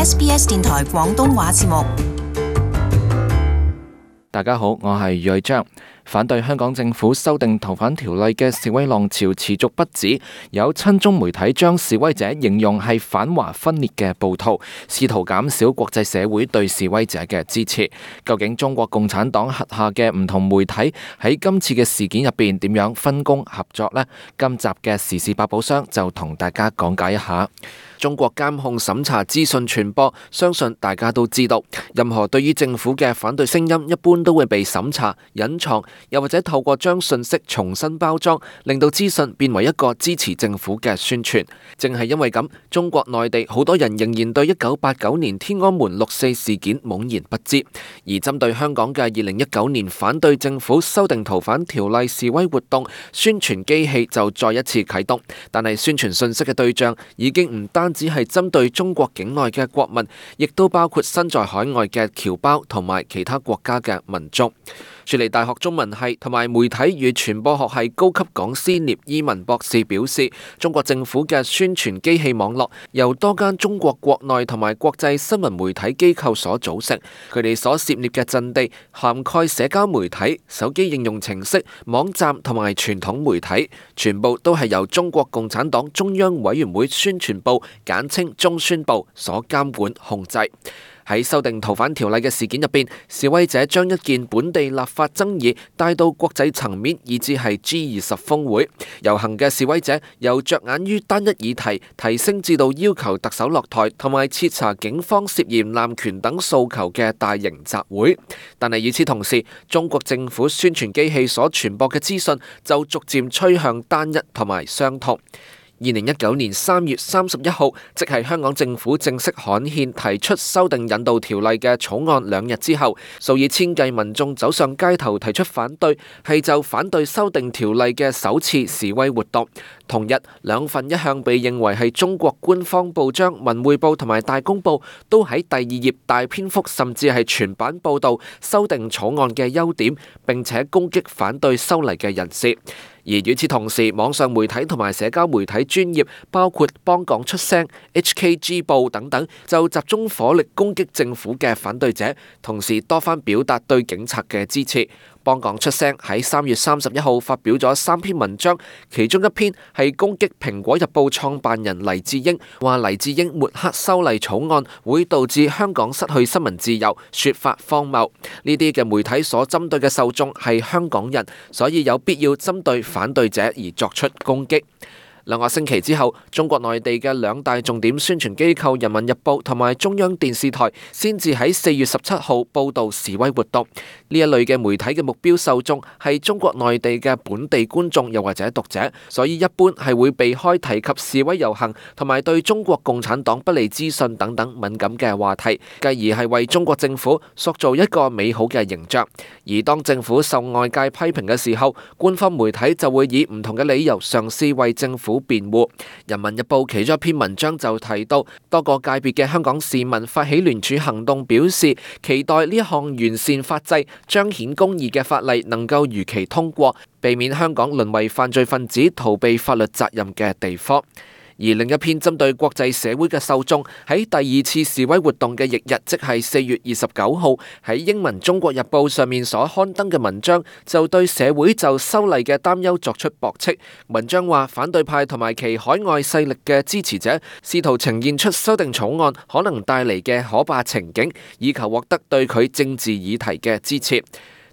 SBS 電台廣東話節目。大家好，我係余偉章。反對香港政府修訂逃犯條例嘅示威浪潮持續不止，有親中媒體將示威者形容係反華分裂嘅暴徒，試圖減少國際社會對示威者嘅支持。究竟中國共產黨轄下嘅唔同媒體喺今次嘅事件入邊點樣分工合作呢？今集嘅時事百寶箱就同大家講解一下。中國監控審查資訊傳播，相信大家都知道，任何對於政府嘅反對聲音一般都會被審查、隱藏，又或者透過將信息重新包裝，令到資訊變為一個支持政府嘅宣傳。正係因為咁，中國內地好多人仍然對1989年天安門六四事件懵然不知，而針對香港嘅2019年反對政府修訂逃犯條例示威活動，宣傳機器就再一次啟動，但係宣傳信息嘅對象已經唔單只係針對中國境內嘅國民，亦都包括身在海外嘅僑胞同埋其他國家嘅民眾。雪梨大學中文系同埋媒體與傳播學系高級講師聶伊文博士表示，中國政府嘅宣傳機器網絡由多間中國國內同埋國際新聞媒體機構所組成，佢哋所涉獵嘅陣地涵蓋社交媒體、手機應用程式、網站同埋傳統媒體，全部都係由中國共產黨中央委員會宣傳部簡稱中宣部所監管控制。喺修訂逃犯條例嘅事件入邊，示威者將一件本地立法爭議帶到國際層面，以至係 G20 峰會。遊行嘅示威者由着眼於單一議題提升至到要求特首落台同埋徹查警方涉嫌濫權等訴求嘅大型集會。但係與此同時，中國政府宣傳機器所傳播嘅資訊就逐漸趨向單一同埋相同。2019年3月31號，即係香港政府正式刊憲提出修訂引渡條例嘅草案2日之後，數以千計民眾走上街頭提出反對，係就反對修訂條例嘅首次示威活動。同日，兩份一向被認為係中國官方報章《文匯報》同埋《大公報》都喺第2頁大篇幅甚至係全版報導修訂草案嘅優點，並且攻擊反對修例嘅人士。而與此同時，網上媒體同埋社交媒體專頁，包括幫港出聲、HKG 報等等，就集中火力攻擊政府嘅反對者，同時多番表達對警察嘅支持。幫港出聲喺3月31號發表咗3篇文章，其中一篇係攻擊蘋果日報創辦人黎智英，話黎智英抹黑修例草案會導致香港失去新聞自由，說法荒謬。呢啲嘅媒體所針對嘅受眾係香港人，所以有必要針對反對者而作出攻擊。2個星期之後，中國內地嘅兩大重點宣傳機構《人民日報》同埋中央電視台先至喺4月17號報導示威活動。呢一類嘅媒體嘅目標受眾係中國內地嘅本地觀眾又或者讀者，所以一般係會避開提及示威遊行同埋對中國共產黨不利資訊等等敏感嘅話題，繼而係為中國政府塑造一個美好嘅形象。而當政府受外界批評嘅時候，官方媒體就會以唔同嘅理由嘗試為政府辯護。人民日報其中一篇文章就提到，多個界別嘅香港市民發起聯署行動，表示期待呢一項完善法制、彰顯公義嘅法例能夠如期通過，避免香港淪為犯罪分子逃避法律責任嘅地方。而另一篇針對國際社會嘅受眾，喺第2次示威活動嘅翌日，即係4月29號，喺英文《中國日報》上面所刊登嘅文章，就對社會就修例嘅擔憂作出駁斥。文章話，反對派同埋其海外勢力嘅支持者，試圖呈現出修訂草案可能帶嚟嘅可怕情景，以求獲得對佢政治議題嘅支持。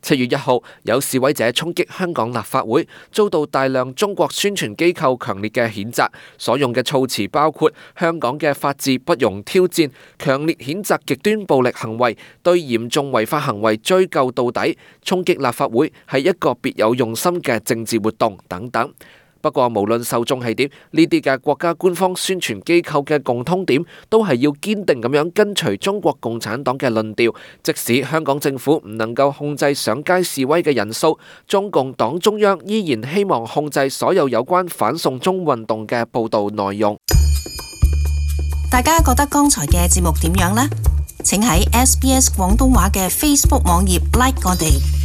7月1號，有示威者衝擊香港立法會，遭到大量中國宣傳機構強烈嘅譴責，所用嘅措辭包括香港嘅法治不容挑戰、強烈譴責極端暴力行為、對嚴重違法行為追究到底、衝擊立法會係一個別有用心嘅政治活動等等。不過無論受眾係點，呢啲嘅國家官方宣傳機構嘅共通點都係要堅定咁樣跟隨中國共產黨嘅論調，即使香港政府唔能夠控制上街示威嘅人數，中共黨中央依然希望控制所有有關反送中運動嘅報導內容。大家覺得剛才嘅節目點樣呢？請喺SBS 廣東話嘅 Facebook 網頁 like 我哋。